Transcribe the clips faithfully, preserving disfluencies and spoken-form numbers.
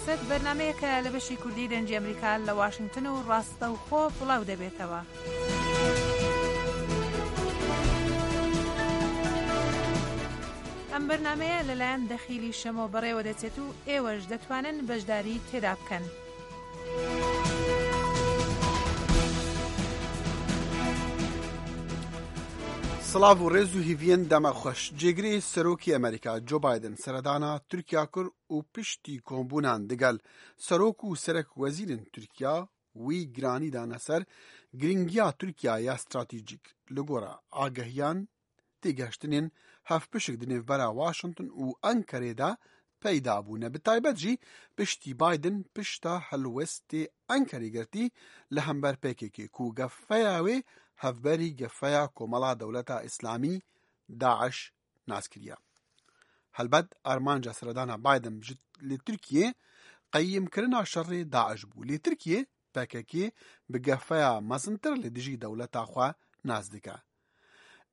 سەد بەرنمەیەکە لە بەشی کوردی دەنجی ئەمریکا لە واشنگتن و ڕاستەوخۆ بڵاو دەبێتەوە. ئەم بەرنمەیە لەلایەن دەخیلی شەمۆ بەڕێوە دەچێت و ئێوەش دەتوانن بەشداری تێدا بکەن. سڵاو و ڕێز و هیڤیەن دەمە خۆش. جێگرێ سەرۆکی ئەمریکا جۆ بایدن سەردانا تورکیا کرد و پشتی کۆمبوونان دەگەل سەرۆک و سەرەک وەزیرن تورکیا وی گرانی دانە سەر گرنگیا تورکیا یا استراتیژیک. لە گۆرە ئاگەهیان تێگەشتنێن هەف پشک دنێڤبەرا واشنتن و ئەنکەرێدا پەیدا بوونە. بە تایبەت ژی پشتی بایدن پشتا هەلوەستێ ئەنکەرێ گرتی لە هەمبەر پێکێکێ کو گەفەیا وێ هەفبەری گەفەیا کۆمەڵا دەولەتا ئیسلامی داعش ناز کریە. هەلبەت ئارمانجا سەردانا بایدن ji li Tirkiyê qeyîmkirina şerê DAIŞ bû. Lê Tirkiye P K K bi gefeya mezintir li dijî dewleta xwe nas dike.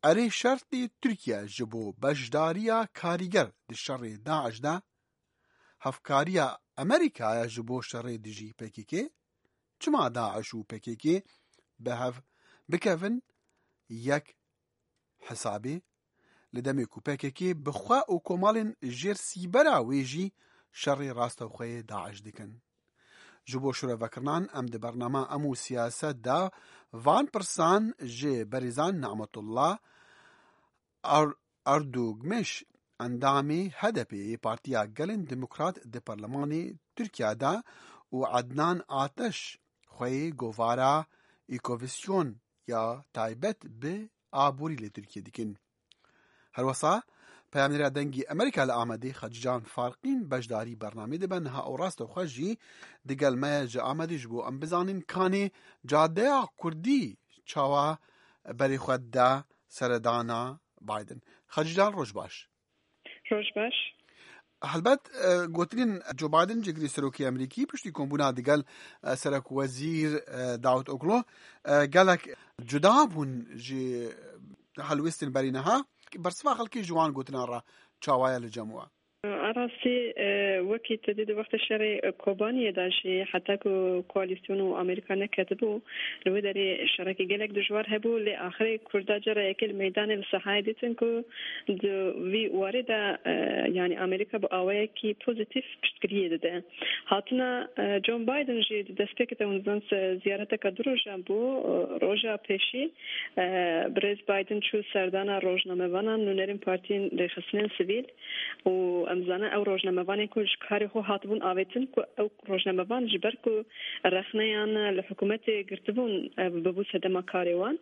Erê şertê Tirkiye ji bo beşdariya karîger di şerê DAIŞ de hevkariya Amerîkaya ji bo şerê dijî P K K. Çima DAIŞ û P K K bi hev bikevin yek hesabê? Li demê ku P K K bi xwe û komalên jêr sîbera wê jî şerê rastewxweyê DAIŞ dikin. Ji bo şirevekirinan em di bernama Em û Siyaset de van pirsan ji berêzan Nimetullah Er-, Erdogmiş, endamê H D P yê Partiya Gelên Demokrat di Parlemanê Tirkiya de û Ednan Ateş xweyê govara Îkovisyon ya taybet bi aborî li Tirkiyê dikin. Herwesa peyamnêra Dengê Amerîka li Amedê Xecîcan Farqîn beşdarî bernamê dibe. Niha û rastewxwe jî digel me ye ji Amedê ji bo em bizanîn kanê cadeya Kurdî çawa berê xwe dide seredana Biden. Xecîcan, roj baş. Roj baş. Helbet, e, gotinên Joe Biden, cêgirê serokê Amerîkî, piştî kombûna digel, e, serok wezîr, e, David Oglo, e, gelek cuda bûn ji helwêstên berî niha. Bersiva xelkê ji wan gotinan re çawa ye li cem we? A rastî, e, wekî te dî di wextê şerê Kobaniyê de jî heta ku koalîsyon û Amerîka neketibû, li wê derê şerekî gelek dijwar hebû, lê axirê Kurda cara yekê li meydanê li sehayê dîtin ku di vî warê de, e, yanî Amerîka bi awayekî pozîtîf piştgiriyê dide. Hatina, e, John Biden jî di destpêkê de hûn zan se ziyareteke du rojan bû, e, roja pêşî, e, birêz Biden çû serdana rojnamevanan, nûnerên partiyên rêxistinên sivîl û em zanin ew rojnamevanên ku ji karê xwe hatibûn avêtin ku ew rojnamevan ji ber ku rexneyan li hikûmetê girtibûn, e, bibû sedema karê wan.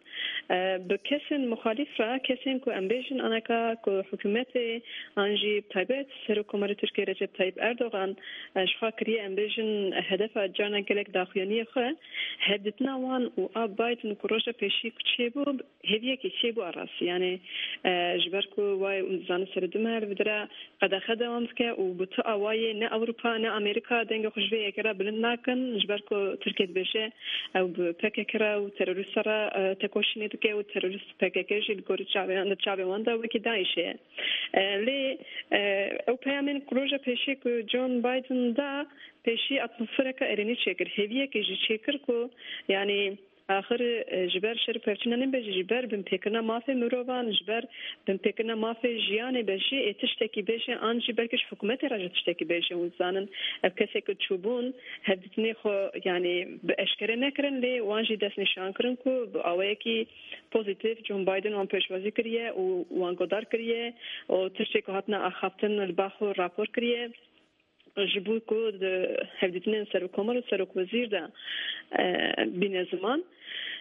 E, bi kesên muxalîf re, kesên ku em bêjin aneka ku hikûmetê an jî bi taybet Serokkomarê Tirkiyê Recep Tayyip Erdogan, e, ji xwe kiriye, em bêjin hedefa carna gelek daxuyaniyê xwe, hevdîtina wan û a Biden ku roja pêşî ku çêbû, hêviyekî çêbû a rastî. Yanî, e, ji ber ku wayê û dizane serê du meh li vê dire qedexe dewam dike û bi tu awayê ne Ewropa ne Amerîka dengê xwe ji vê yekê re bilind nakin, ji ber ku Tirkiye dibêje ew bi P K K re û terorîsta re, e, tekoşînê dike û terorîst P K K jî li gorî çavê, li çavê wan de wekî DAIŞ e. E, lê, e, ew peyamên ku roja pêşî ku John Biden da pêşî atmosfereke erênî çêkir, hêviyekê jî çêkir ku, yanî, axir, e, ji ber şer û pevçûna nebe jî, ji ber binpêkirina mafê mirovan, ji ber binpêkirina mafê jiyanê be jî, ê tiştekî bêje, an jî belkî ji hikûmetê re jî tiştekî bêje. Hûn zanin, ev kesê ku çûbûn, hevdîtinê xwe, yanî, bi eşkere nekirin, lê wan jî destnîşan kirin ku bi awayekî pozîtîf John Biden wan pêşwazî kiriye û wan guhdar kiriye û tiştê ku hatine axaftin li ba xwe rapor kiriye. Ji bo ku di hevdîtinên serokkomar û serokwezîr de, e, bîne ziman.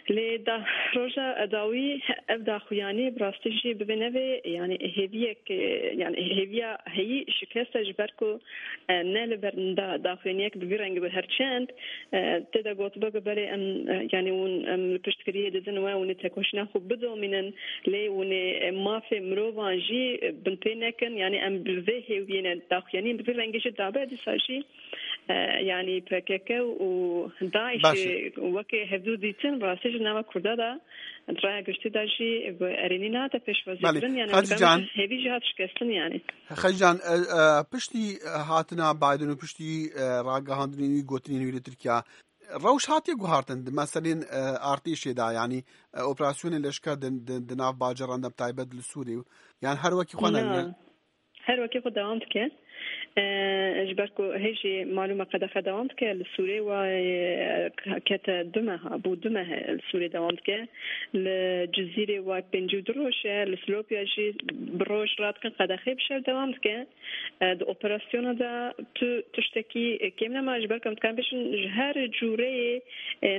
Lê da, roja dawî ev daxuyanî bi rastî jî bibê nevê, yanî hêviyek, e, yanî hêviya heyî şikest e, ji ber ku, e, ne li ber da, daxuyaniyek bi vî rengî bi her çend, e, tê de gotibe ku belê em, e, yanî hûn, em li piştgiriyê didin we, hûn ê tekoşîna xwe bidomînin, lê hûn ê, e, mafê mirovan jî, e, binpê nekin. Yanî em bi vê hêviyê ne daxuyanî, bi vî rengî jî dabe, dîsa jî E, yanî P K K û DAIŞ Baş e. Weke hevdû dîtin, rastî ji nava Kurda de, di raya giştî de jî bi erênî nehate pêşwazî Belê. Kirin, yanî Hacî ew Can. Hêvî jî hat şikestin, yanî. Hacî Can, e, e, piştî hatina Biden û piştî, e, ragihandinên wî, gotinên wî li Tirkiye, rewş hatiye guhartin di meselên, e, artêşê de, yanî, e, operasyonên leşker di, di, di nav bajaran de, bi taybet li Sûrê, yan her wekî xwe ne? Na. Her wekî xwe dewam dike. E, ji ber ku hê jî malûm e qedexe dewam dike. Li Sûrê wa, e, kete du meha, bû du meh li Sûrê dewam dike. Li Cizîrê wa pêncî û du roj e, li Silopya jî bi roj radikin qedexê bi şev dewam dike. E, di operasyona de tu tiştekî kêm nema, ji ber ku em dikarin bêjin ji her cûreyê, e,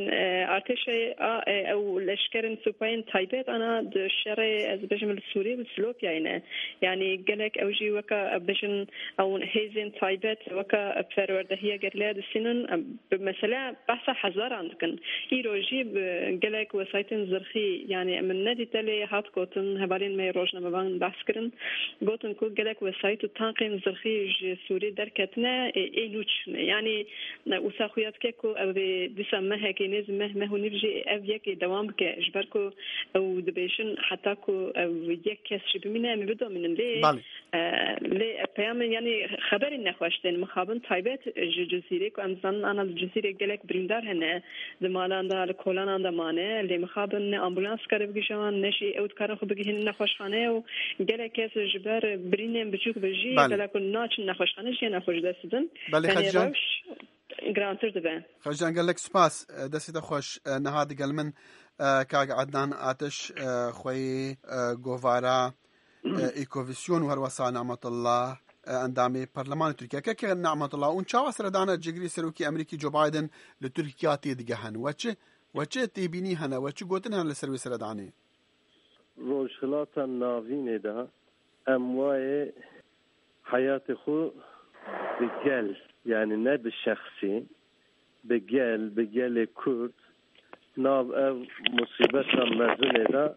artêşê a, e, ew leşkerên supayên taybet ana di şerê, ez bêjim, li Sûrî, li Silopyayê ne. Yanî gelek ew jî weke, e, bêjin, ew hêzên taybet weke perwerdehiya gerîlaya distînin, e, bi mesela behsa hezaran dikin. Îro jî bi gelek wesayîtên zirxî, yanî min nedîte lê hat gotin, hevalên me yê rojnamevan behs kirin, gotin ku gelek wesayît û tankên zirxî ji Sûrî derketine, ê, ê nû çûne. Yanî, e, wisa xuya dike ku ev ê dîsa mehekê, nêz meh, meh û nîv jî ev yekê dewam bike. Ji ber ku ew dibêjin heta ku ev yek kes jî bimîne, em ê bidomînin. Lê, Belê. e, lê peyamên, yanî xeberên nexweş tên mixabin taybet ji Cizîrê ku em dizanin ana li Cizîrê gelek birîndar hene. Di malan de, li kolanan de mane, lê mixabin ne ambulans dikare bigihîje wan, ne jî ew dikarin xwe bigihînin nexweşxane û gelek kes ji ber birînên biçûk ve jî Belê. Bela ku naçin nexweşxane, jiyana xwe ji dest didin. Belê, Tenê Xecîcan. Rewş girantir dibe. Xecîcan, gelek spas. Destê te xweş. Niha digel min, e, kak Ednan Ateş, e, xweyê, e, govara, e, Îkovîsyon û herwesa Nimetullah, e, endamê Parlemanê Tirkiye. Keke Nimetullah, hûn çawa seredana cîgirê serokê Amerîkî Joe Biden li Tirkiye têdigehin? We çi, we çi têbînî hene? We çi gotin hene li ser wê seredanê? Rojhilata Navînê de em wayê heyatê xwe bi gel, yanî ne bi şexsî, bi gel, bi gelê Kurd, nav ev musîbeta mezinê de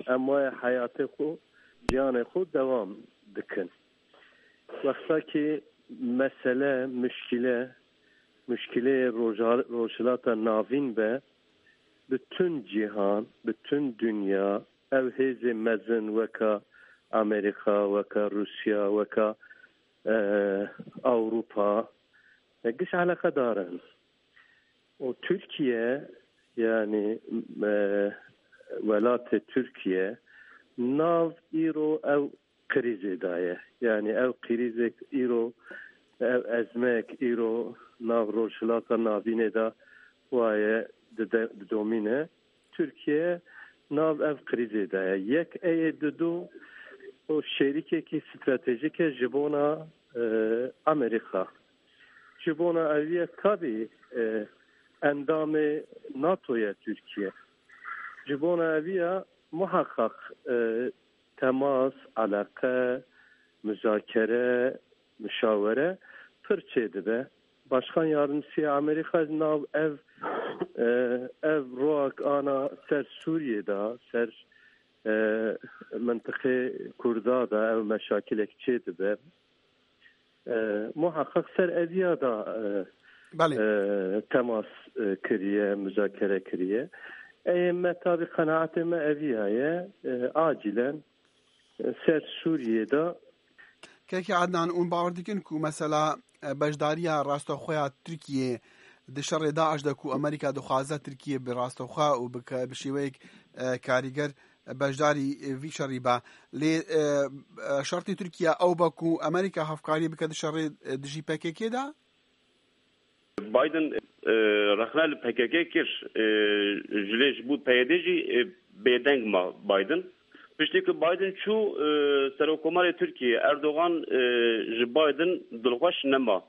em wayê heyatê xwe, jiyanê xwe dewam dikin. Wexta ki mesele, muşkile, muşkileyê Roja-, Rojhilata Navîn be, bütün cîhan, bütün dinya, ev hêzê mezin weka Amerîka, weka Rûsya, weka, e, Ewropa, e, giş eleqedar in. Û Tirkiye, yanî, e, welatê Tirkiye, nav îro ew krîzê de ye. Yanî ew krîzek îro, ev ezmek îro nav Rojhilata Navînê de waye dide-, didomîne. Tirkiye nav ev krîzê de ye. Yek ê ye, didu û şerîkekî stratejîk e ji bona, e, Amerîka. Ji bona eviye tabî, e, endamê NATO ye Tirkiye. Ji bona eviya muhaqqaq, e, temas, eleqe, muzakere, muşawere pir çêdibe. Başkan Yardımcısı ya Amerîka nav ev, e, ev roak ana ser Sûriyê de, ser, e, mintiqê Kurda de ev meşakilek çêdibe. E, muhaqqaq ser eviya de, e, Belê. e, temas, e, kiriye, muzakere kiriye. Ê me tabî qenaetê me eviya ye, e, acilen, e, ser Sûriyê de. Kekê Ednan, hûn bawer dikin ku mesela, e, beşdariya rastoxwe ya Tirkiyê di şerê DAIŞ de ku Amerîka dixwaze Tirkiye bi rastoxwe û bi ke-, bi şêweyek, e, karîger beşdarî, e, vî şerî be. Lê, e, e, şertê Tirkiye ew be ku Amerîka hevkarî bike di şerê, e, dijî P K K de? Biden, e, rexne li P K K kir, e, ji lê ji bo P Y D jî, e, bêdeng ma Biden. Piştî ku Biden çû, e, Serokkomarê Tirkiyê Erdogan, e, ji Biden dilxweş nema.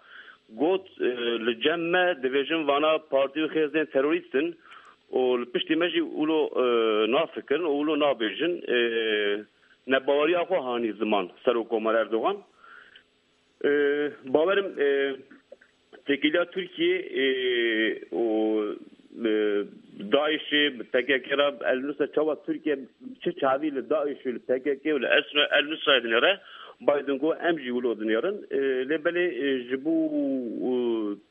Got, e, li cem me dibêjin vana partî û xêzên terorîst in û li piştî me jî wilo, e, nafikirin û wilo nabêjin. E, nebaweriya xwe hanî ziman Serokkomar Erdogan. E, bawerim, e, têkiliya Tirkiyê, e, û, e, DAIŞê, P K K re, El Nusra, çawa Tirkiye çi çavî li DAIŞ û li P K K û li Esra El Nusrayê dinêre, Biden got, em jî wilo dinêrin. E, lê belê, e, ji bo, e,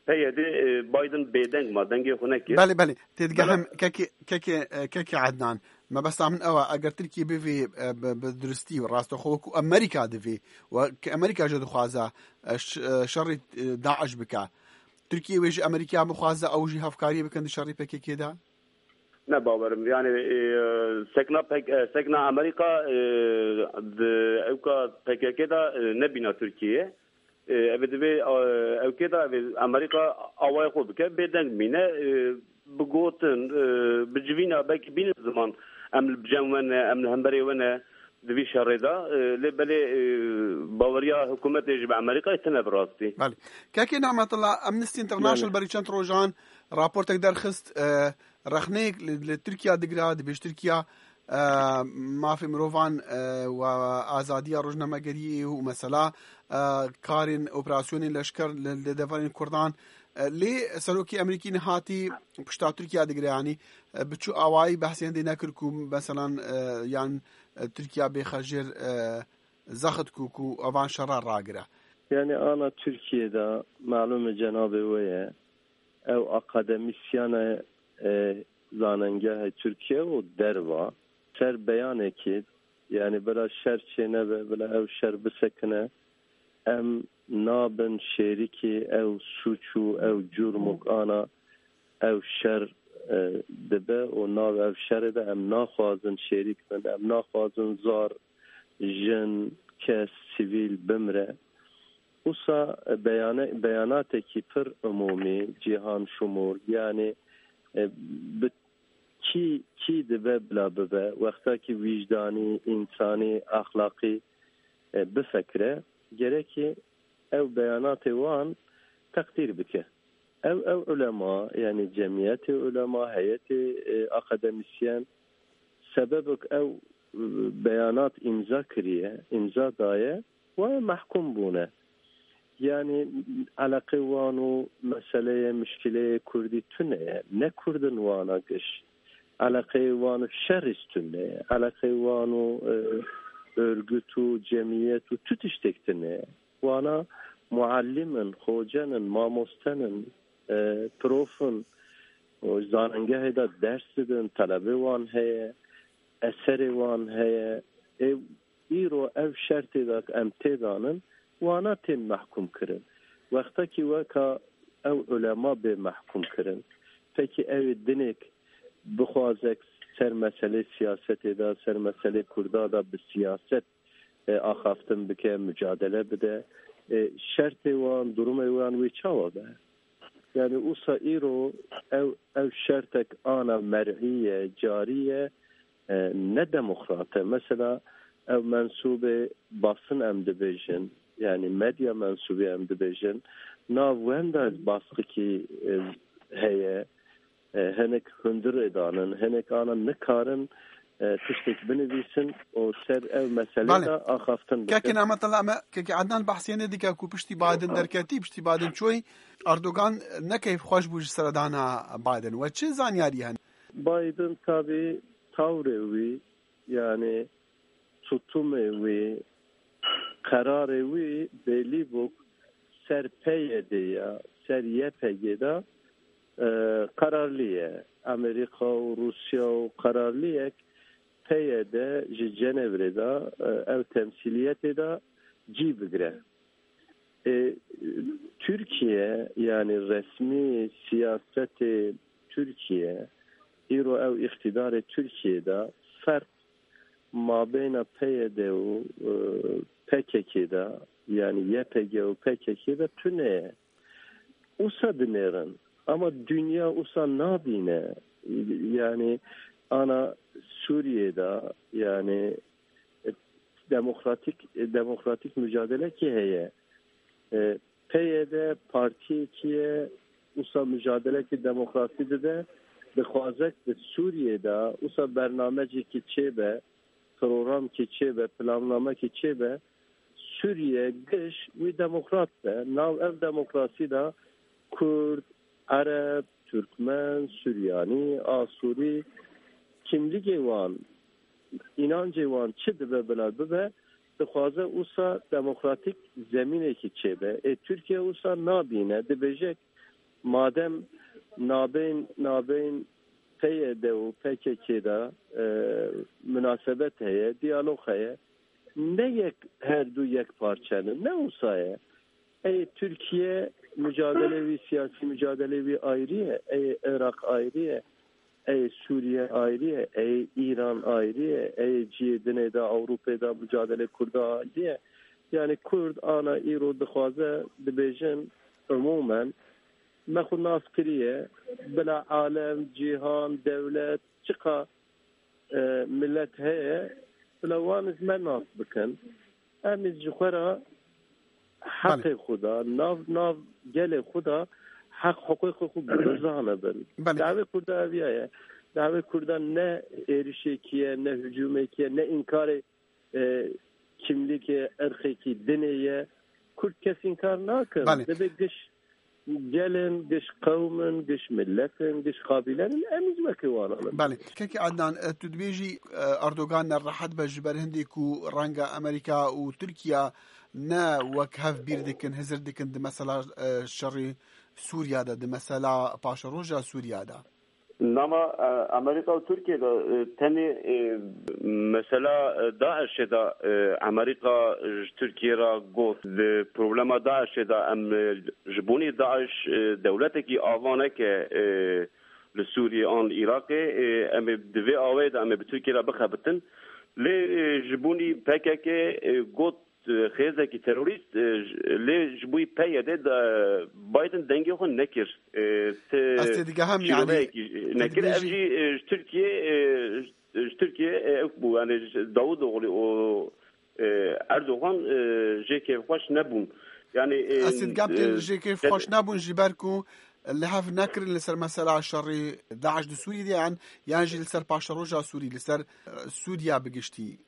P Y D, e, Biden bêdeng ma, dengê xwe nekir. Belê, belê. Têdigehim, kekê, kekê, e, kekê Ednan. Mebesta min ew e, eger Tirkiye bivê, e, bi, bi duristî û rastex wekû Amerîka divê, wekî Amerîka jî dixwaze, e, ş-, e, şerê, e, DAIŞ bike. Tirkiye wê ji Amerîka bixwaze ew jî hevkariyê bikin di şerê P K K de? Ne bawerim. Yani, e, sekna pek, e, sekna Amerîka, e, di ewka P K K de, e, nebîna Tirkiye. E, ev divê, e, ewkê de ev Amerîka awayê xwe bike, bêdeng bîne, e, bi gotin, e, bi civîna belkî bînin ziman, em li cem we ne, em li hemberê we ne, di vî şerê de, e, lê belê, e, baweriya hikûmetê ji bi Amerîkayê tine bi rastî. Belê. Kekê Nimetullah, Amnesty International Belê. berî çend rojan raportek derxist, e, rexneyek li, li Tirkiya digire, dibêj Tirkiya, e, mafê mirovan, e, û azadiya rojnamegeriyê û mesela, e, karên operasyonên leşker li, li deverên Kurdan. E, lê serokê Amerîkî nihatî pişta Tirkiya digire, yanî, e, bi çi awayî behsê hindê nekir ku meselan, e, yan, e, Tirkiya bêxe jêr, e, zexit ku, ku evan şera ragire. Yani ana Tirkiye de malûm e cenabê we ye. Ew akademisyana, e, zanengeha Tirkiye û derva ser beyanekê, yani bila şer çênebe, bila ew şer bisekine, em nabin şêrikî ew sûc û ew cûrmok ana ew şer, e, dibe û nav ev şerê de em naxwazin şêrîk bin, em naxwazin zar, jin, kes, sivîl bimre. Wisa beyane-, beyanatekî pir umûmî, cîhan şumûl, yanî, e, bi kî, kî dibe bila bibe, wexta ki wîjdanî, însanî, exlaqî, e, bifikire, gerekî ew beyanatê wan teqdîr bike. Ew, ew ulema, yanî cemiyetê ulema, heyetê, e, akademisyen, sebebek ew, e, beyanat îmza kiriye, îmza daye, waya mehkûm bûne. Yanî eleqê wan û meseleyê, mişkileyê Kurdî tune ye. Ne Kurd in wana giş. Eleqeyê wan û şer î tune ye. Eleqeyê wan û, e, örgüt û cemiyet û tu tiştek tune ye. Wana muallim in, xoce nin, mamoste nin, e, prof in, û zanengehê de ders didin, telebê wan heye, eserê wan heye. Ê, îro ev şertê de em têdanin, wana tên mehkûm kirin. Wexta ki weka ew ulema bê mehkûm kirin, pekî ew ê dinêk bixwazek ser meselê siyasetê de, ser meselê Kurda de bi siyaset, e, axaftin bike, mücadele bide. E, şertê wan, durumê wan wê çawa be? Yani usa îro ew, ev şertek ana mer'î ye, carî ye, e, ne demokrat e. Mesela ew mensûbê basın em dibêjin, yani medya mensûbê em dibêjin, nav wenda basqikî, e, heye. E, hinek hundir ê danin, hinek ana nikarin, e, tiştek binivîsin û ser ev meselê Belê. de axaftin bikin. Kekê Nimetullah, me kekê Ednan behsê hindê dike ku piştî Biden derketî, piştî Biden çûyî, Erdogan ne keyfxweş bû ji seredana Biden. We çi zanyarî hene? Biden tabî tawrê wî, yani tutumê wî, qerarê wî belî bû, ser P Y D ya, ser Y P G de, e, qerarlî ye. Amerîka û Rûsya û qerarlî ye P Y D ji Cenevre de, e, ev temsîliyetê de cî bigire. E, Tirkiye, yani resmî siyasetê Tirkiye, îro ew îqtîdarê Tirkiye de ferq mabeyna P Y D û, e, P K K de, yani Y P G û P K K de tune ye. Usa dinêrin. Ama dünya usa nabîne. Yani ana Suriye de, yani, e, demokratik, e, demokratik mücadele ki heye. E, P Y D partiyekî ye, usa mücadelekî demokrasî dide, dixwazek di Sûriyê de usa bernamecekî çêbe, programkî çêbe, plannamekî çêbe, Sûriye giş wî demokrat be. Nav ev demokrasî de Kurd, Ereb, Türkmen, Suryanî, Asûrî, kimligê wan, înancê wan çi dibe bila bibe, Dixwaze wisa demokratîk zemînekî çêbe. Ê Tirkiye wisa nabîne, dibêje madem nabên, nabên P Y D û P K K de, e, minasebet heye, diyalog heye, ne yek, her du yek parçe ne, ne wisa ye. Ey Tirkiye mücadele wî, siyasî mücadele wî ayrı ye, ey Irak ayrı ye, ey Suriye ayrı ye, ey İran ayrı ye, ey cihê dinê de, Avrupê de mücadele Kurda ayrı ye. Yani Kurd ana îro dixwaze dibêjin umumen me xwe nas kiriye, bila alem, cîhan, dewlet, çiqa, e, millet heye, bila wan ji me nas bikin. Em ji xwe re heqê xwe de, nav, nav gelê xwe de heq hiqûqê xwe bizanibin. Belê. Dawê Kurda eviya ye. Dawê Kurda ne êrişekî ye, ne hücumekî ye, ne înkarê, e, kimlikê, irqekî, dinê ye. Kurd kes înkar nakin. Belê. Dibê giş gelin, giş qewmin, giş milletin, giş qabîlenin, em jî wekî wan in. Belê. Kekî Adnan, e, tu dibêjî, e, Erdogan nerehet be ji ber hindê ku renga Amerîka û Tirkiye ne wek hev bîr dikin, hizir dikin di mesela, e, şerê Sûriye de, di mesela paşeroja Sûriye de. Nama, e, Amerîka û Tirkiye de, e, tenê, e, mesela, e, DAIŞê de, e, Amerîka ji Tirkiye re got, di problema DAIŞê de em, e, ji bonê DAIŞ, e, dewletekî ava neke, e, li Sûriyê an li Iraqê, e, em ê di vê awayê de em ê bi Tirkiye re bixebitin. Lê, e, ji bonî P K K, e, got, e, xêzekî terorîst, e, j-, lê ji bo P Y D de Biden dengê xwe nekir. E, ti Ez têdigeham, yani, şîroveyekî tu nekir. Ev dibêjî jî, e, ji Tirkiye, e, ji, ji Tirkiye, e, ew bû, yani, ji Davutoğlu û, e, Erdogan, e, jê kêfxweş nebûn. Yani, e, Ez têdigeham, e, jê kêfxweş nebûn ji ber ku li hev nekirin li ser mesela şerî DAIŞ di Sûriyê de, yan, yan jî li ser paşeroja Sûrî, li ser, e, Sûriya bi giştî.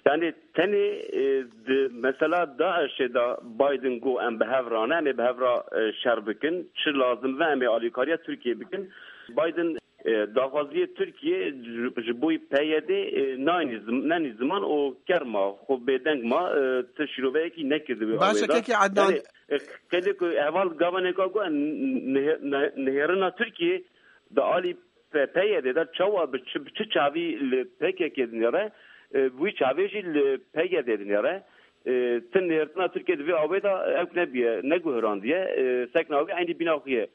Yani tenê, e, di mesela DAIŞê de Biden got em bi hev re ne, em ê bi hev re, e, şer bikin. Çi lazim ve em ê alîkariya Tirkiye bikin. Biden, e, daxwaziye Tirkiye ji, ji bo P Y D, e, nayînî zim-, nenî ziman û kerma xwe bêdeng ma, e, ti şîroveyekî nekirdi wê Baş e, awê de. Kekê Adnan. Yani, e, qêlê ku heval gavanê ka got, n-, n-, nihê-, ne-, nihêrina Tirkiye di alî P-, P Y D de çawa bi çi, bi çi çavî li P K K dinêre, e, wî çavê jî li P Y D dinêre. E, ti nêrtina Tirkiye di vê awê de ew nebiye, neguhirandiye, e, sekna wî eynî bîna xwe ye.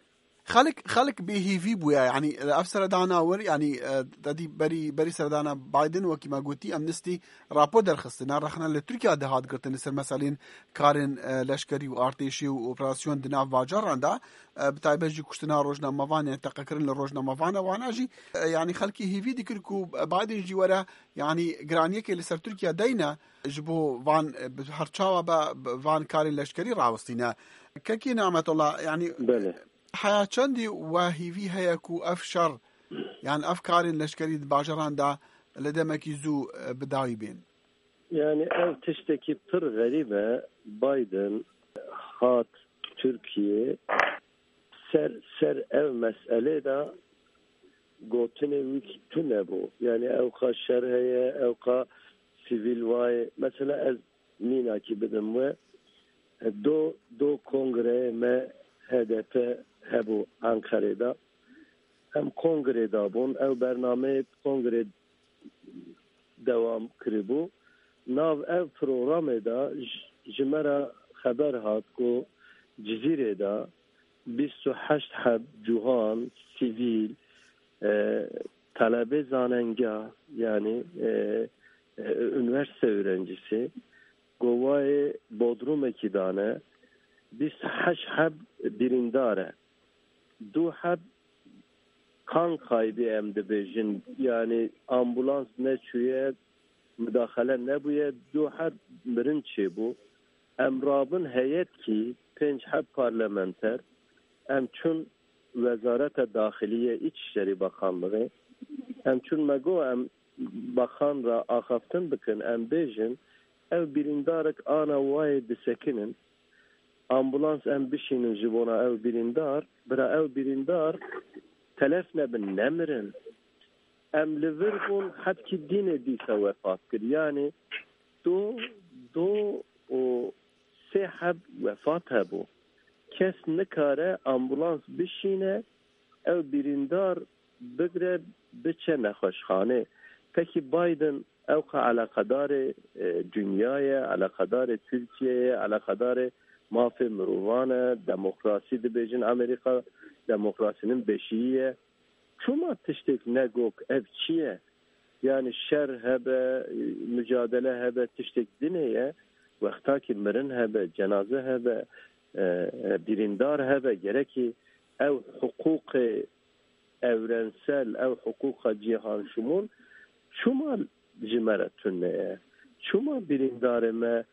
Xelk, xelk bêhîvî bûye, yanî, ev seredana wir, yanî, e, dedî berî, berî seredana Biden, wekî me gotî, Amnesty rapor derxistine, rexne li Tirkiye de hat girtin li ser meselên karên, e, leşkerî û artêşî û operasyon di nav bajaran de. E, bi taybet jî kuştina rojnamevan, yani teqekirin li rojnamevan e, wana jî, e, yani xelkî hêvî dikir ku Biden jî were, yani giraniyekê li ser Tirkiye deyne ji bo van, e, bi her çawa be, bi van karên leşkerî rawestîne. Kekî Nimetullah, yani Belê. heya çendî we hêvî heye ku ev şer, yani ev karên leşkerî di bajaran de li demekî zû, e, bi dawî bên? Yani ev tiştekî pir xerîb e. Biden hat Tirkiye ser, ser ev meselê de gotinê wî tune bû. Yani ew qas şer heye, ew qas sivîl wayê. Mesela ez mînakî bidim we, do, do kongreyê me H D P hebû Ankarê de. Em kongrê de bûn. Ew bernameyê kongrê dewam kiribû. Nav ev programê de ji, ji me re xeber hat ku Cizîrê de bîst û heşt heb ciwan, sivîl, e, talebê zanengeh, yani, e, e, üniversite öğrencisi, govayê bodrumekî dane, bîst û heşt heb birîndar e. Du heb kan kaybı em dibêjin, yani ambulans neçûye, mudaxele nebûye, du heb mirin çêbû. Em rabin heyet kî pênc heb parlamenter, em çûn Wezareta Daxiliye, İçişleri Bakanlığı, em çûn me got em bakan re axaftin bikin, em bêjin, ev birîndarek ana wayê disekinin, ambulans em bişînin ji bona ew birîndar, bira ew birîndar telef nebin, nemirin. Em li vir bûn, hebkî dînê dîsa wefat kir. Yani tu Do û sê heb wefat hebû. Kes nikare ambulans bişîne, ew birîndar bigre biçe nexweşxanê. Pekî Biden ewqa eleqedarê, e, dinya ye, eleqedarê Tirkiye ye, eleqedarê mafê mirovan e, demokrasî dibêjin Amerîka, demokrasînin beşîyî ye. Çima tiştek negok ev çi ye? Yani şer hebe, mücadele hebe, tiştek dinê ye. Wexta ki mirin hebe, cenaze hebe, e, e, birîndar hebe, gerekî ew hiqûqê evrensel, ew hiqûqa cîhanşimûl çima ji me re tune ye? Çima birîndarê me,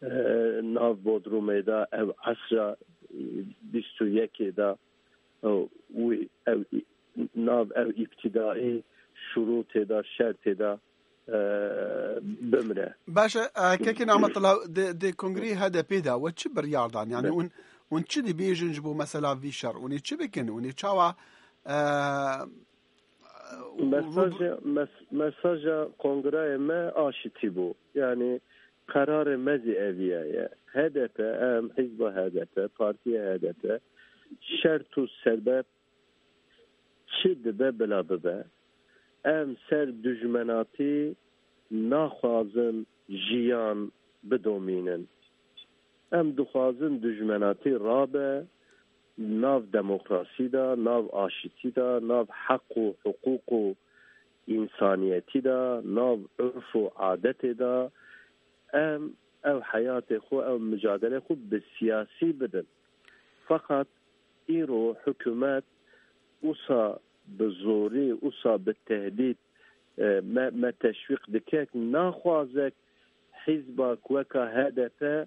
e, nav Bodrumê de ev esra, e, bîst û yekê de, e, wî, ev, nav ev îbtîdaî şurûtê de, şertê de, e, bimre? Baş e, e, kekê Nimetullah, di, di kongreyê H D P de we çi biryar dan? Yani Ne. hûn, hûn çi dibêjin ji bo mesela vî şer? Hûn ê çi bikin? Hûn ê çawa, e, Mesaja, mes-, mesaja kongreyê me aşitî bû. Yani qerarê me zî eviya ye. H D P, em, hizba H D P, partiya H D P, şert û sebeb çi dibe bila bibe. Em ser dijmenatî naxwazin jiyan bidomînin. Em dixwazin dijmenatî rabe, nav demokrasî de, nav aşitî de, nav heq û hiqûq û însaniyetî de, nav urf û adetê de. Em ev heyatê xwe, ev micadelê xwe bi siyasî bidin. Feqet îro hikûmet wisa bi zorî, wisa bi tehdîd, e, me, me teşwîq dike, naxwazek hizbak weka H D P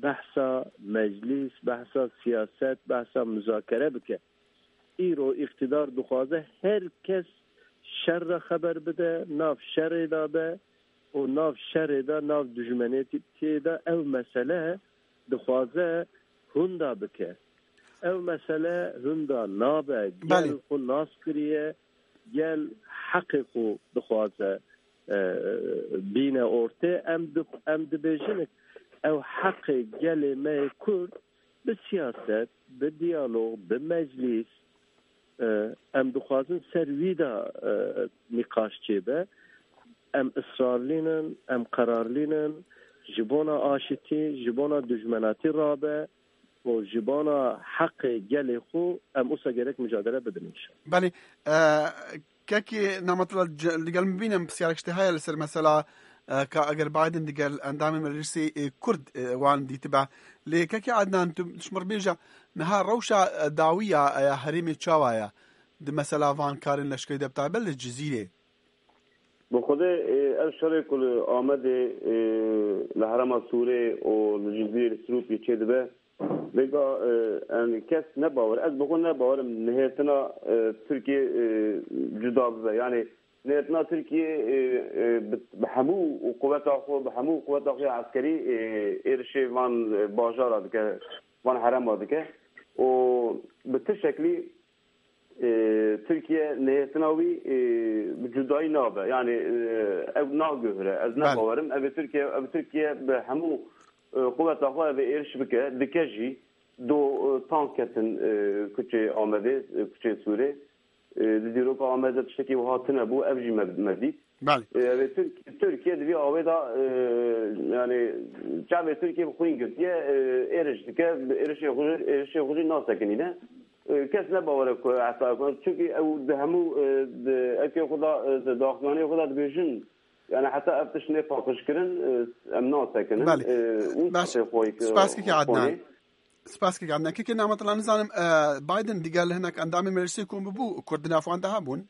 behsa meclîs, behsa siyaset, behsa muzakere bike. Îro îqtidar dixwaze her kes şer re xeber bide, nav şerê de be û nav şerê de, nav dijmenetiyê de ev mesele dixwaze hunda bike. Ev mesele hunda nabe. Gel Belê. xwe nas kiriye, gel heqê xwe dixwaze, e, bîne ortê. Em di-, em dibêjin ew heqê gelê me yê Kurd bi siyaset, bi diyalog, bi meclîs, e, em dixwazin ser wî de, e, nîqaş çêbe. Em israrlî nin, em qerarlî nin, ji bona aşitî, ji bona dijmenatî rabe û ji bona heqê gelê xwe em wisa gerek micadele bidin înşallah. Belê, e, kekê Nimetullah, ce-, digel min bîne pirsiyarek ji te heye li ser mesela, e, ka eger Biden digel endamên meclisê, e, Kurd, e, wan dîtibe. Lê kekê Adnan, tu ji min re bêje, niha rewşa, e, dawî ya, e, ya herêmê çawa ye? Di mesela van karên leşkerî de bi taybet li Cizîrê. Bi xwedê, e, ev şerê ku li Amedê, e, li herêma Sûrê û li Cizîr, Sirûpî çêdibe, vêga, e, em kes ne bawer, ez bi xwe ne bawer im nihêtina, e, Tirkiye, e, cuda bibe. Yani nihêtina Tirkiye, e, e, bi, bi hemû quweta xwe, bi hemû quweta xwe ya eskerî, e, êrişê van, e, bajara dike, van herêma dike û bi ti şeklî e, Tirkiye nihêtina wî, e, bi cudayî nabe. Yani, e, ew naguhire. Ez Belê. ne bawerim. Ev ê Tirkiye, ev Tirkiye bi hemû, e, quweta xwe ev ê êriş bike, dike jî. Do, e, tank ketin, e, kuçê Amedê, e, kuçê Sûrê. E, di dîroka Amedê tiştekî wiha tune bû. Ev jî me, me dît. Belê. E, ev ê Tirk-, Tirkiye di vî awê de, e, yani çavê Tirkiye bi xwîn girtiye, e, êriş dike, bi êrişê xwe, êrişê xwe jî nasekinîne. E, kes ne bawer e ku heta ku, çünkü ew di hemû, e, di ewkê xwe de, e, di daxuyaniyê xwe de dibêjin, yani heta ev tişt nê paqijkirin, e, em nasekinin. Belê. E, û Baş. Spas kekê Adnan. Spas kekê Adnan. Kekê Nimetullah, nizanim, e, Biden digel hinek endamên meclisê kom bûbû, Kurd di nav wan de hebûn?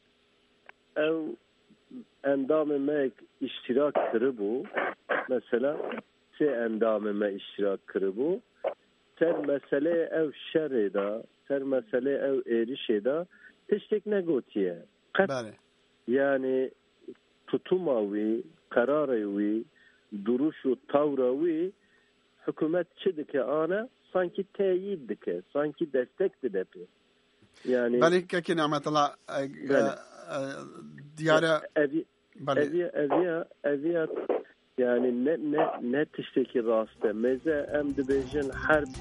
Ew endamê me yek îştîrak kiribû, mesela sê endamê me îştîrak kiribû. Ser meseleyê ew şerê de, ser meseleyê ew êrişê de tiştek negotiye. Qet. Belê. Yani tutuma wî, qerarê wî, duruş û tawra wî, hikûmet çi dike ana, sankî teyîd dike, sankî destek dide pê. Yani Belê kekê Nimetullah, e, Belê. e, e, diyare Ev, Belê. ev, ev, ev, Yani ne ne ne tiştekî rast e. Mêze em dibêjin herb,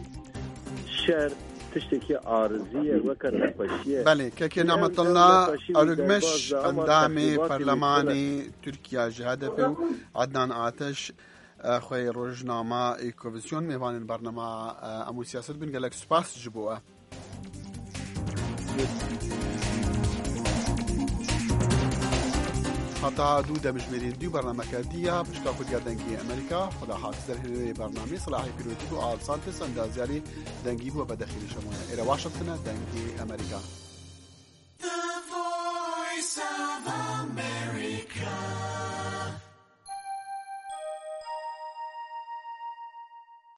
şer tiştekî arizî ye, weke nexweşî ye. Belê, kekê Em, em Nemetullah nexweşî wî Örgmeş, derbas da, ama endamê texrîbatê wî Perlemanê Tirkiye ji H D P û Adnan Ateş, e, xwê rojnama Îkovizyon mêvanên bernama, e, Em û Siyaset bin. Gelek spas ji bo we. Heta dû demjimêrî dû bernameke dî ya pişka Kurdiya Dengê Amerîka. Xweda Hafiz derhênerê bernamê Silahê Pîrotî bû, Al Santis endazyarî dengî bû, Bedexîlî Şemoye. Êre Washington e, Dengê Amerîka.